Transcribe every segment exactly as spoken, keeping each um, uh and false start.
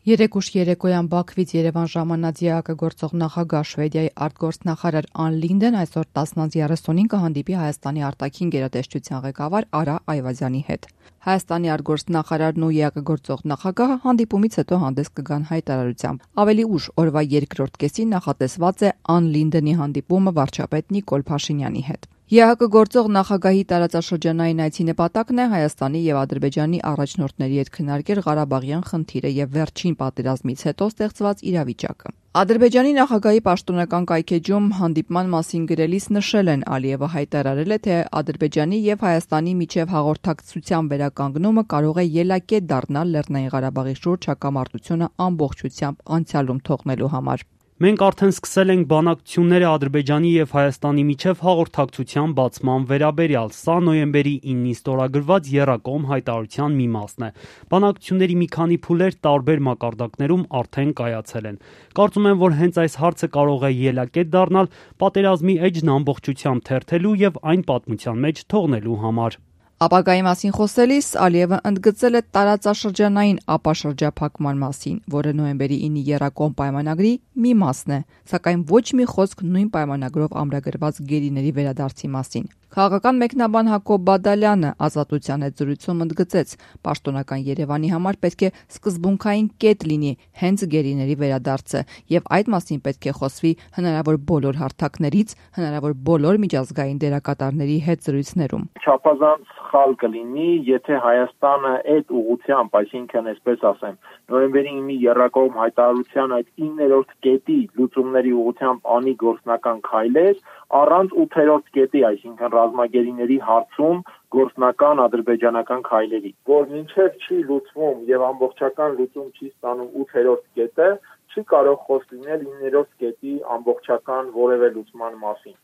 Երեկ ուշ երեկոյան Բաքվից Երևան ժամանած ԵԱԿ գործող նախագահ Շվեդիայի արտգործնախարար Ան Լինդեն այսօր տասն յոթ կհանդիպի Հայաստանի արտաքին գերատեսչության ղեկավար Արա Այվազյանի հետ։ Հայաստանի արտգործնախարարն ու ԵԱԿ գործող նախագահը հանդիպումից հետո հանդես կգան հայտարարությամբ։ Ավելի ուշ օրվա երկրորդ կեսին նախատեսված է Ան Լինդենի հանդիպումը վարչապետ Նիկոլ Փաշինյանի հետ։ ԵԱԿ գործող նախագահի տարածաշրջանային այցի նպատակն է Հայաստանի եւ Ադրբեջանի առաջնորդների հետ քննարկել Ղարաբաղյան խնդիրը եւ վերջին պատերազմից հետո ստեղծված իրավիճակը։ Ադրբեջանի նախագահի պաշտոնական կայքեջում հանդիպման մասին գրելիս նշել են, Ալիևը հայտարարել է, թե Ադրբեջանի եւ Հայաստանի միջև հաղորդակցության վերականգնումը կարող է ելակետ դառնալ Լեռնային Ղարաբաղի շուրջ հակամարտությունը ամբողջությամբ անցյալում թողնելու համար։ Մենք արդեն սկսել ենք բանակցությունները Ադրբեջանի եւ Հայաստանի միջև հաղորդակցության բացման վերաբերյալ։ Սա նոյեմբերի իննին ստորագրված եռակողմ հայտարարության մի մասն է։ Բանակցությունների մի քանի փուլեր տարբեր մակարդակներում արդեն կայացել են։ Կարծում եմ, որ հենց այս հարցը կարող է ելակետ դառնալ պատերազմի էջն ամբողջությամբ թերթելու եւ այն պատմության մեջ թողնելու համար։ Ապագայի մասին խոսելիս Ալիևը ընդգծել է տարածաշրջանային ապաշրջափակման մասին, որը նոյեմբերի իննի եռակողմ պայմանագրի մի մասն է, սակայն ոչ մի խոսք նույն պայմանագրով ամրագրված գերիների վերադարձի մասին։ Քաղաքական մեկնաբան Հակոբ Բադալյանը Ազատության հետ զրույցում ընդգծեց, պաշտոնական Երևանի համար պետք է սկզբունքային կետ լինի հենց գերիների վերադարձը, եւ այդ մասին պետք է խոսվի հնարավոր բոլոր հարթակներից, հնարավոր բոլոր միջազգային դերակատարների հետ զրույցներում։ Չափազանց սխալ կլինի, եթե Հայաստանը այդ ուղղությամբ, այսինքն այսպես ասեմ, նոյեմբերի իննի եռակողմ հայտարարության այդ իններորդ կետի լուծումների ուղղությամբ անի գործնական քայլեր, առանց ութերորդ կետի, այսինքն ռազմագերիների հարցում գործնական ադրբեջանական քայլերի, որ մինչև չի լուծվում եւ ամբողջական լուծում չի ստանում ութերորդ կետը, չի կարող խոսք լինել իններորդ կետի ամբողջական որևէ լուծման մասին։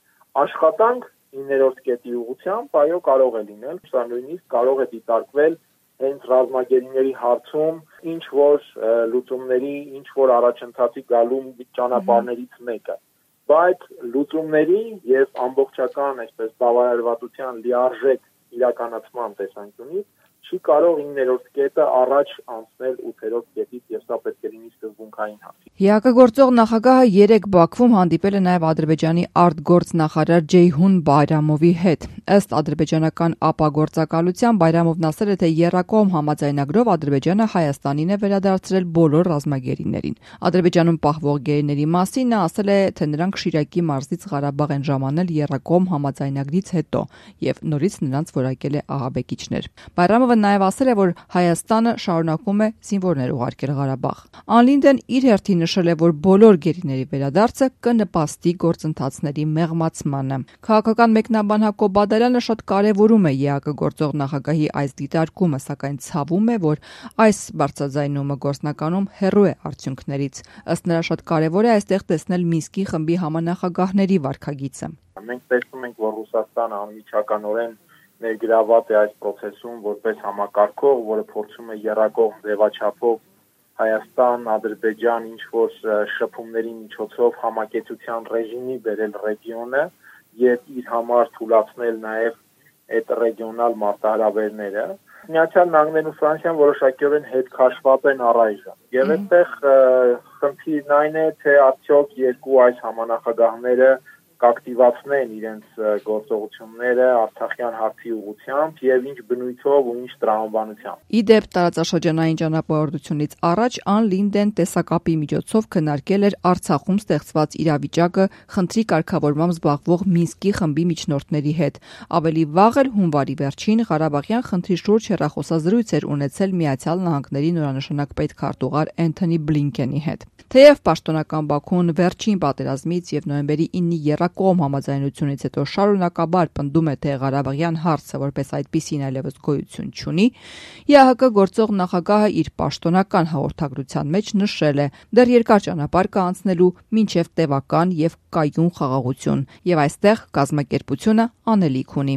Աշխատանք իններորդ կետի ուղղությամբ, այո, կարող է լինել, սա նույնիսկ կարող է դիտարկվել հենց ռազմագերիների հարցում ինչ որ լուծումների, ինչ որ առաջընթացի գալու ճանապարհներից մեկը։ Բայց լուծումների եւ ամբողջական, այսպես բավարարվածության լիարժեք իրականացման տեսանկյունից չի կարող իններորդ կետը առաջ անցնել ութերորդ կետից եւ սա պետք է լինի սկզբունքային հարց։ ԵԱԿ գործող նախագահը երեկ Բաքվում հանդիպել է նաև Ադրբեջանի արտգործնախարար Ջեյհուն Բայրամովի հետ։ Ըստ ադրբեջանական ապագործակալության Բայրամովն ասել է, թե եռակողմ համաձայնագրով Ադրբեջանը Հայաստանին է վերադարձրել բոլոր ռազմագերիներին։ Ադրբեջանում պահվող գերիների մասին նա ասել է, թե նրանք Շիրակի մարզից Ղարաբաղ են ժամանել եռակողմ համաձայնագրից հետո եւ նորից նրանց որակել է ահաբեկիչներ։ Բայրամովը նաև ասել է, որ Հայաստանը շարունակում է զինվորներ ուղարկել Ղարաբաղ։ Ան Լինդեն իր հերթին նշել է, որ բոլոր գերիների վերադարձը կնպաստի գործընթացների մեղմացմանը։ Քաղաքական մեկնաբան Հակոբ Բադալյանը շատ կարևորում է ԵԱԿ գործող նախագահի այս դիտարկումը, սակայն ցավում է, որ այս բարձրաձայնումը գործնականում հեռու է արդյունքներից։ Ըստ նրա շատ կարևոր է այստեղ տեսնել Մինսկի խմբի համանախագահների վարքագիծը։ Մենք տեսնում ենք, որ Ռուսաստանը անմիջականորեն ներգրաված է այս process-ում որպես համակարգող, որը փորձում է եռակողմ ձևաչափով Հայաստան, Ադրբեջան ինչ որ շփումների միջոցով համակեցության ռեժիմի բերել ռեգիոնը եւ իր համար թույլատրել նաեւ այդ ռեգիոնալ մարտահրավերները։ Միացյալ Նահանգներն ու Ֆրանսիան որոշակիորեն հետ քաշված են առայժմ։ Եվ այդտեղ խնդիրն այն է, թե արդյոք երկու այս համանախագահները կակտիվացնեն իրենց գործողությունները Արցախյան հարցի ուղղությամբ եւ ինչ բնույթով ու ինչ տրամաբանությամբ։ Իդեպ տարածաշրջանային ճանապարհորդությունից առաջ Ան Լինդեն տեսակապի միջոցով քննարկել էր Արցախում ստեղծված իրավիճակը խնդրի կարգավորմամբ զբաղվող Մինսկի խմբի միջնորդների հետ։ Ավելի վաղ էլ հունվարի վերջին Ղարաբաղյան խնդրի շուրջ հեռախոսազրույց էր ունեցել Միացյալ Նահանգների նորանշանակ պետքարտուղար Էնթոնի Բլինքենի հետ։ Թեև պաշտոնական Բաքուն վերջին պատերազմից եւ նոյեմբերի իննի եռակողմ համաձայնությունից հետո շարունակաբար պնդում է, թե Ղարաբաղյան հարցը որպես այդպիսին այլևս գոյություն չունի, ԵԱՀԿ գործող նախագահը իր պաշտոնական հաղորդագրության մեջ նշել է, դեռ երկար ճանապարհ կա անցնելու մինչև տևական եւ կայուն խաղաղություն, եւ այստեղ կազմակերպությունը անելիք ունի։